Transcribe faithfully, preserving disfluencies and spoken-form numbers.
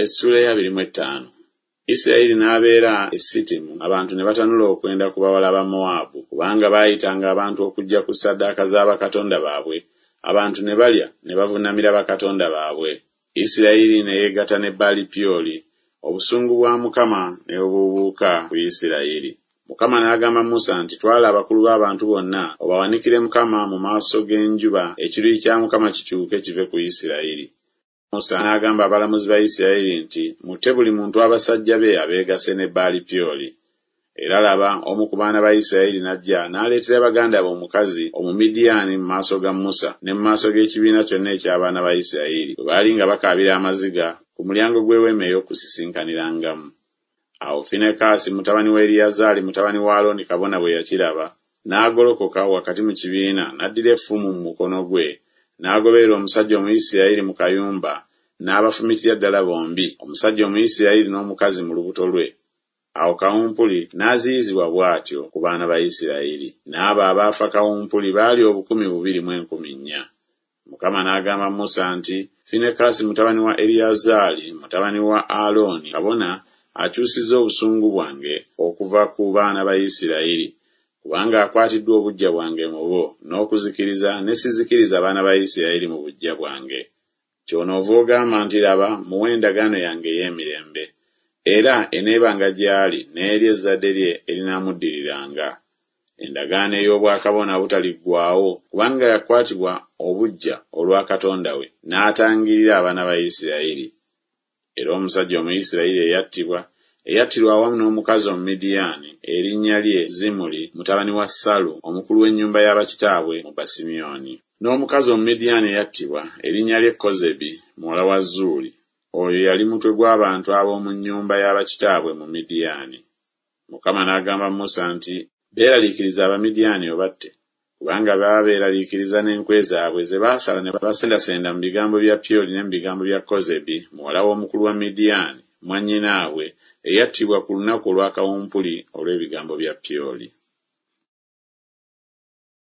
Essula ey'abiri mu ettaano. Isirayiri n'abeera e Sitimu, abantu ne batanula okwenda ku bawala ba Mowaabu, kubanga baayitanga abantu okujja ku ssaddaaka za bakatonda baabwe, abantu ne balya ne bavunnamira bakatonda baabwe. Isirayiri ne yeegatta ne Baali Pyoli, obusungu bwa Mukama ne bubuubuuka ku Isirayiri. Mukama n'agamba Musa nti, Twala abakulu b'abantu bonna, obawanikire Mukama mu maaso g'enjuba, ekiruyi kya Mukama kikyuke kive ku Isirayiri. Musa n'agamba abalamuzi ba Isirayiri nti, Mutte buli muntu abasajja be abeegasse ne Baali Pyoli. Era laba, omu ku baana ba Isirayiri n'ajja n'aleetera baganda be omukazi Omumidiyaani mu maaso ga Musa ne mu maaso g'ekibiina kyonna eky'abaana ba Isirayiri, bwe baali nga bakaabira amaziga ku mulyango gw'eweema ey'okusisinkanirangamu. Awo Finekaasi mutabani wa Eriyazaali mutabani wa Alooni kabona bwe yakiraba, n'agolokoka wakati mu kibiina n'addira effumu mu mukono gwe, n'agoberera omusajja Omuyisirayiri mu kayumba, n'abafumitira ddala bombi, omusajja Omuyisirayiri n'omukazi mu lubuto lwe. Awo kawumpuli n'aziyizibwa bw'atyo ku baana ba Isirayiri. N'abo abaafa kawumpuli baali obukumi bubiri mu enkumi nnya. Mukama n'agamba Musa nti, Finekaasi mutabani wa Eriyazaali mutabani wa Alooni kabona akyusizza obusungu bwange okuva ku baana ba Isirayiri, kubanga akwatiddwa obuggya bwange mu bo, n'okuzikiriza ne sizikiriza abaana ba Isirayiri mu buggya bwange. Kyonoova ogamba nti, Laba, muwe endagaano yange ey'emirembe, era eneebanga gy'ali n'eri ezzadde lye erinaamuddiriranga. Endagaano ey'obwakabona obutaliggwaawo, kubanga yakwatibwa obuggya olwa Katonda we, n'atangirira abaana ba Isirayiri. Era omusajja Omuyisirayiri eyattibwa, eyattirwa awamu n'omukazi Omumidiyaani, erinnya lye Zimuli mutabani wa Salu, omukulu w'ennyumba ya bakitaabwe mu Basimyoni. N'omukazi Omumidiyaani eyattibwa, erinnya lye Kozebi muwala wa Zuuli, oyo yali mutwe gw'abantu ab'omu nnyumba ya bakitaabwe mu Midiyaani. Mukama n'agamba Musa nti, Beeraliikiriza Abamidiyaani obatte, kubanga baba beeraliikiriza n'enkwe zaabwe ze baasala ne basendasenda mu bigambo bya Pyoli ne mu bigambo bya Kozebi muwala w'omukulu wa Midiyaani, mwannyinaabwe, eyattibwa ku lunaku olwa kawumpuli olw'ebigambo bya Pyoli.